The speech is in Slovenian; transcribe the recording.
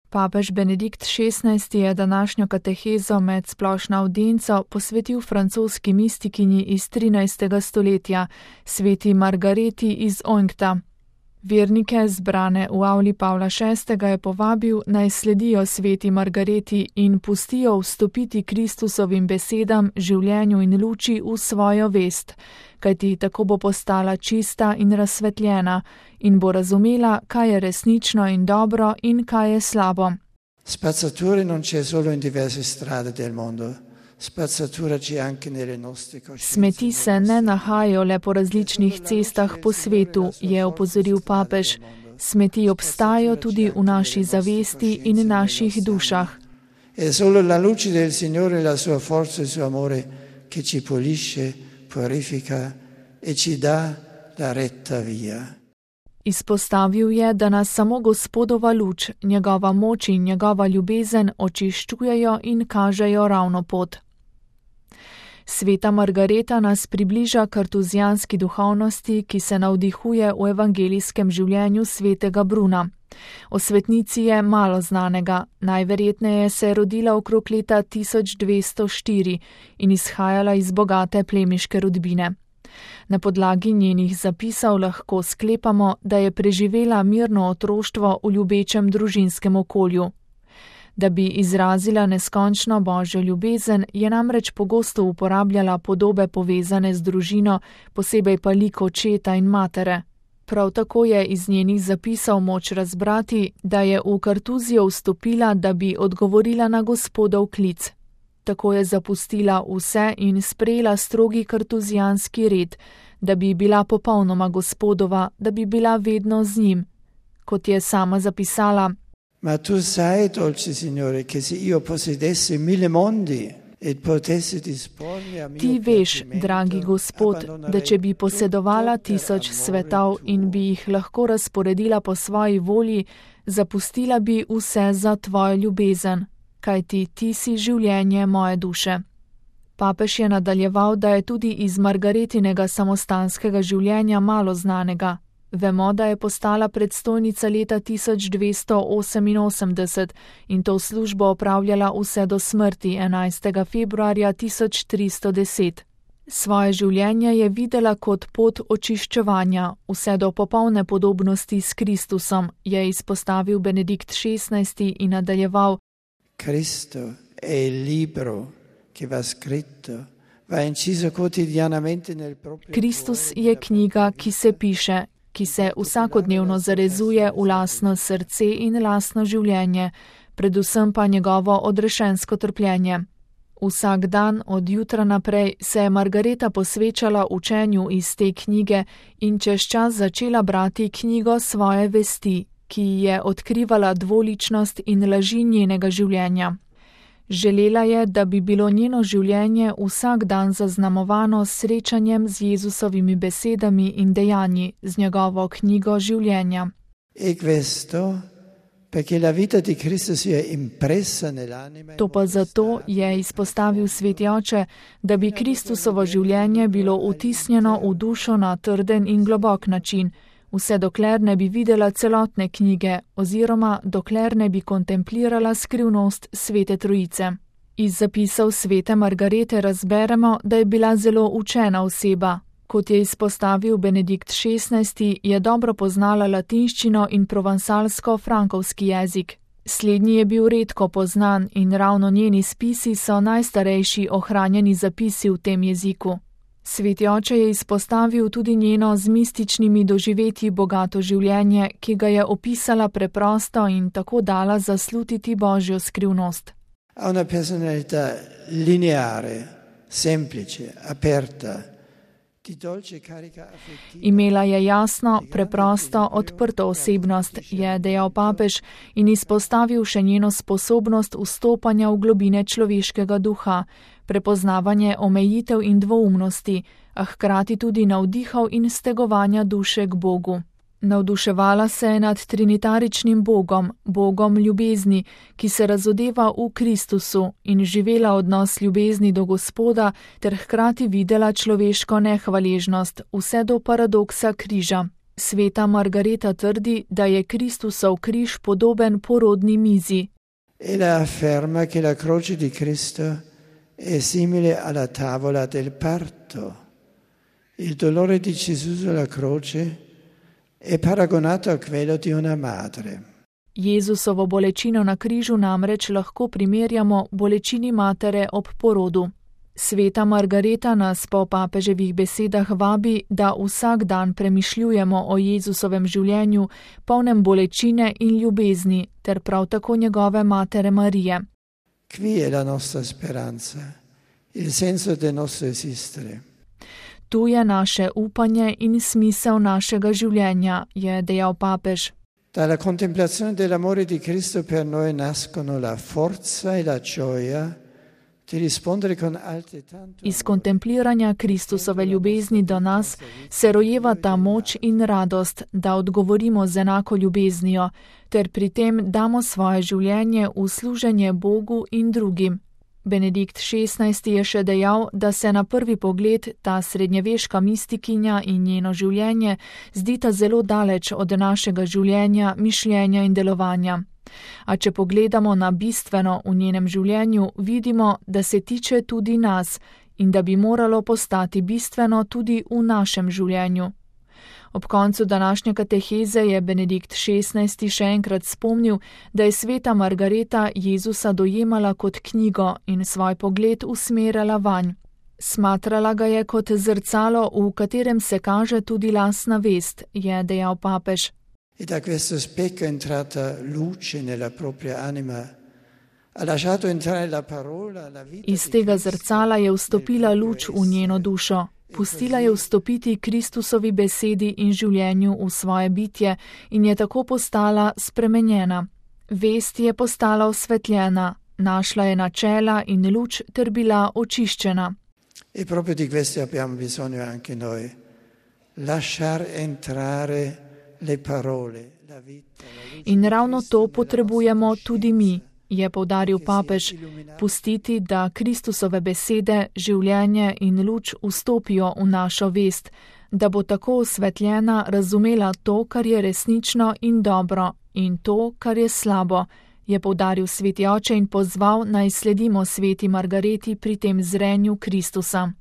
Papež Benedikt XVI je današnjo katehezo med splošno avdienco posvetil francoski mistikinji iz 13. stoletja, sveti Margareti iz Oinkta. Vernike, zbrane v avli Pavla VI., je povabil, naj sledijo sveti Margareti in pustijo vstopiti Kristusovim besedam, življenju in luči v svojo vest, kajti tako bo postala čista in razsvetljena in bo razumela, kaj je resnično in dobro in kaj je slabo. Spazzatura non c'è solo in diverse strade del mondo. Spazzatura c'è anche nelle nostre coscienze. Smeti se ne nahajajo le po različnih cestah po svetu, je opozoril papež. Smeti obstajajo tudi v naši zavesti in naših dušah. È solo la luce del Signore, la sua forza e il suo amore che ci pulisce, purifica e ci dà la retta via. Izpostavil je, da nas samo Gospodova luč, njegova moč in njegova ljubezen očiščujejo in kažejo ravno pot. Sveta Margareta nas približa kartuzijanski duhovnosti, ki se navdihuje v evangelijskem življenju svetega Bruna. O svetnici je malo znanega, najverjetneje se je rodila okrog leta 1204 in izhajala iz bogate plemiške rodbine. Na podlagi njenih zapisov lahko sklepamo, da je preživela mirno otroštvo v ljubečem družinskem okolju. Da bi izrazila neskončno božjo ljubezen, je namreč pogosto uporabljala podobe povezane z družino, posebej pa lik očeta in matere. Prav tako je iz njenih zapisov moč razbrati, da je v Kartuzijo vstopila, da bi odgovorila na Gospodov klic. Tako je zapustila vse in sprejela strogi kartuzijanski red, da bi bila popolnoma Gospodova, da bi bila vedno z njim. Kot je sama zapisala: Ma tu sai, dolce Signore, che se io possedessi 1000 mondi e potessi dispormi a mio Ti veš, dragi Gospod, da če bi posedovala 1000 svetov in bi jih lahko razporedila po svoji volji, zapustila bi vse za tvojo ljubezen, kajti ti si življenje moje duše. Papež je nadaljeval, da je tudi iz Margaretinega samostanskega življenja malo znanega. Vemo, da je postala predstojnica leta 1288 in to službo opravljala vse do smrti 11. februarja 1310. Svoje življenje je videla kot pot očiščevanja, vse do popolne podobnosti s Kristusom, je izpostavil Benedikt XVI in nadaljeval: Cristo è il libro che va scritto, va inciso quotidianamente nel proprio Kristus je knjiga, ki se piše, ki se vsakodnevno zarezuje v lastno srce in lastno življenje, predvsem pa njegovo odrešensko trpljenje. Vsak dan od jutra naprej se je Margareta posvečala učenju iz te knjige in čez čas začela brati knjigo svoje vesti, ki je odkrivala dvoličnost in laži njenega življenja. Želela je, da bi bilo njeno življenje vsak dan zaznamovano s srečanjem z Jezusovimi besedami in dejanji, z njegovo knjigo življenja. To pa zato, je izpostavil sveti oče, da bi Kristusovo življenje bilo vtisnjeno v dušo na trden in globok način, vse dokler ne bi videla celotne knjige oziroma dokler ne bi kontemplirala skrivnost Svete Trojice. Iz zapisov svete Margarete razberemo, da je bila zelo učena oseba. Kot je izpostavil Benedikt XVI, je dobro poznala latinščino in provansalsko-frankovski jezik. Slednji je bil redko poznan in ravno njeni spisi so najstarejši ohranjeni zapisi v tem jeziku. Sveti oče je izpostavil tudi njeno z mističnimi doživetji bogato življenje, ki ga je opisala preprosto in tako dala zaslutiti božjo skrivnost. Ha una personalità lineare, semplice, aperta, di dolce carica affettiva. Imela je jasno, preprosto, odprto osebnost, je dejal papež in izpostavil še njeno sposobnost vstopanja v globine človeškega duha, prepoznavanje omejitev in dvoumnosti, a hkrati tudi navdihov in stegovanja duše k Bogu. Navduševala se je nad trinitaričnim Bogom, Bogom ljubezni, ki se razodeva v Kristusu, in živela odnos ljubezni do Gospoda ter hkrati videla človeško nehvaležnost, vse do paradoksa križa. Sveta Margareta trdi, da je Kristusov križ podoben porodni mizi. Ella afferma che la croce di Cristo è simile alla tavola del parto. Il dolore di Gesù sulla croce è paragonato a quello di una madre. Jezusovo bolečino na križu namreč lahko primerjamo bolečini matere ob porodu. Sveta Margareta nas po papeževih besedah vabi, da vsak dan premišljujemo o Jezusovem življenju, polnem bolečine in ljubezni, ter prav tako njegove matere Marije. Qui è la nostra speranza, il senso del nostro esistere. Tu je naše upanje in smisel našega življenja, je dejal papež. Dalla contemplazione dell'amore di Cristo per noi nascono la forza e la gioia di rispondere con altrettanto. Iz kontempliranja Kristusove ljubezni do nas se rojeva ta moč in radost, da odgovorimo z enako ljubeznijo, ter pri tem damo svoje življenje v služenje Bogu in drugim. Benedikt XVI. Je še dejal, da se na prvi pogled ta srednjeveška mistikinja in njeno življenje zdita zelo daleč od našega življenja, mišljenja in delovanja. A če pogledamo na bistveno v njenem življenju, vidimo, da se tiče tudi nas in da bi moralo postati bistveno tudi v našem življenju. Ob koncu današnje kateheze je Benedikt XVI. Še enkrat spomnil, da je sveta Margareta Jezusa dojemala kot knjigo in svoj pogled usmerjala vanj. Smatrala ga je kot zrcalo, v katerem se kaže tudi lastna vest, je dejal papež. E da questo specchio è entrata luce nella propria anima. Ha lasciato entrare la parola, la vita. Iz tega zrcala je vstopila luč v njeno dušo. Pustila je vstopiti Kristusovi besedi in življenju v svoje bitje in je tako postala spremenjena. Vest je postala osvetljena, našla je načela in luč ter bila očiščena. E proprio di questo abbiamo bisogno anche noi. Lasciar entrare le parole, la vita, la luce. In ravno to potrebujemo tudi mi, je poudaril papež, pustiti, da Kristusove besede, življenje in luč vstopijo v našo vest, da bo tako osvetljena razumela to, kar je resnično in dobro, in to, kar je slabo, je poudaril sveti oče in pozval, naj sledimo sveti Margareti pri tem zrenju Kristusa.